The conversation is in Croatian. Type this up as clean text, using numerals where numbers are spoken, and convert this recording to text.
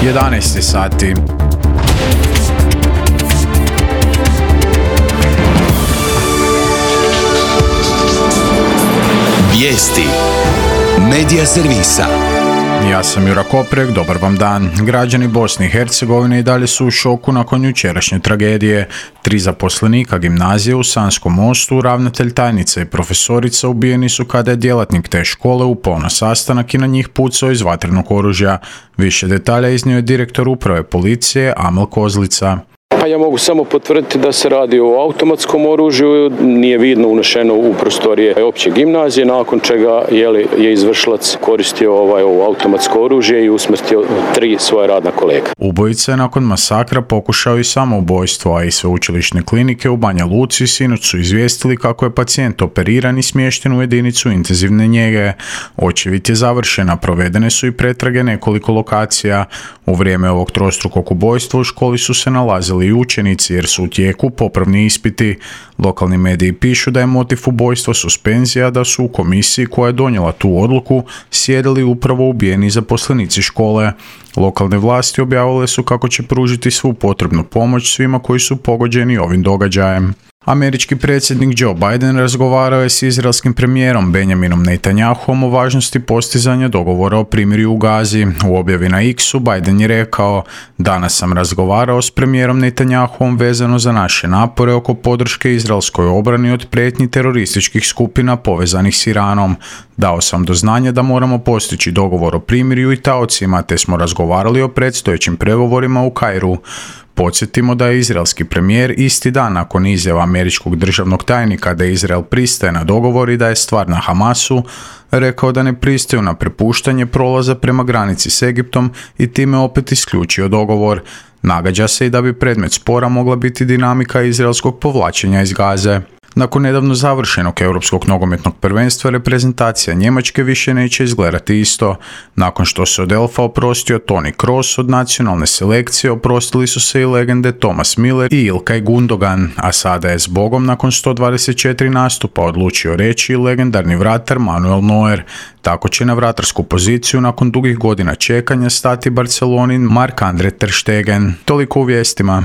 11 sati. Vijesti Medija servisa. Ja sam Jura Koprek, dobar vam dan. Građani Bosne i Hercegovine i dalje su u šoku nakon jučerašnje tragedije. 3 zaposlenika gimnazije u Sanskom Mostu, ravnatelj, tajnica i profesorica ubijeni su kada je djelatnik te škole upao na sastanak i na njih pucao iz vatrenog oružja. Više detalja iznio je direktor uprave policije Amel Kozlica. Pa ja mogu samo potvrditi da se radi o automatskom oružju, nije vidno unešeno u prostorije opće gimnazije, nakon čega je izvršilac koristio ovo automatsko oružje i usmrtio 3 svoja radna kolega. Ubojica je nakon masakra pokušao i samoubojstvo, a i sveučilišne klinike u Banja Luci sinoć su izvijestili kako je pacijent operiran i smješten u jedinicu intenzivne njege. Očevid je završena, provedene su i pretrage nekoliko lokacija. U vrijeme ovog trostrukog ubojstva u školi su se nalazili i učenici jer su u tijeku popravni ispiti. Lokalni mediji pišu da je motiv ubojstva suspenzija, da su u komisiji koja je donijela tu odluku sjedili upravo ubijeni zaposlenici škole. Lokalne vlasti objavile su kako će pružiti svu potrebnu pomoć svima koji su pogođeni ovim događajem. Američki predsjednik Joe Biden razgovarao je s izraelskim premijerom Benjaminom Netanyahuom o važnosti postizanja dogovora o primirju u Gazi. U objavi na X-u Biden je rekao: "Danas sam razgovarao s premijerom Netanyahuom vezano za naše napore oko podrške izraelskoj obrani od prijetnji terorističkih skupina povezanih s Iranom. Dao sam do znanja da moramo postići dogovor o primirju i taocima, te smo razgovarali o predstojećim pregovorima u Kairu." Podsjetimo da je izraelski premijer isti dan nakon izjava američkog državnog tajnika da Izrael pristaje na dogovor i da je stvar na Hamasu, rekao da ne pristaju na prepuštanje prolaza prema granici s Egiptom i time opet isključio dogovor. Nagađa se i da bi predmet spora mogla biti dinamika izraelskog povlačenja iz Gaze. Nakon nedavno završenog europskog nogometnog prvenstva, reprezentacija Njemačke više neće izgledati isto. Nakon što se od Elfa oprostio Toni Kroos od nacionalne selekcije, oprostili su se i legende Thomas Müller i Ilkay Gundogan, a sada je zbogom nakon 124 nastupa odlučio reći i legendarni vratar Manuel Neuer. Tako će na vratarsku poziciju nakon dugih godina čekanja stati Barcelonin Marc-Andre ter Stegen. Toliko u vijestima.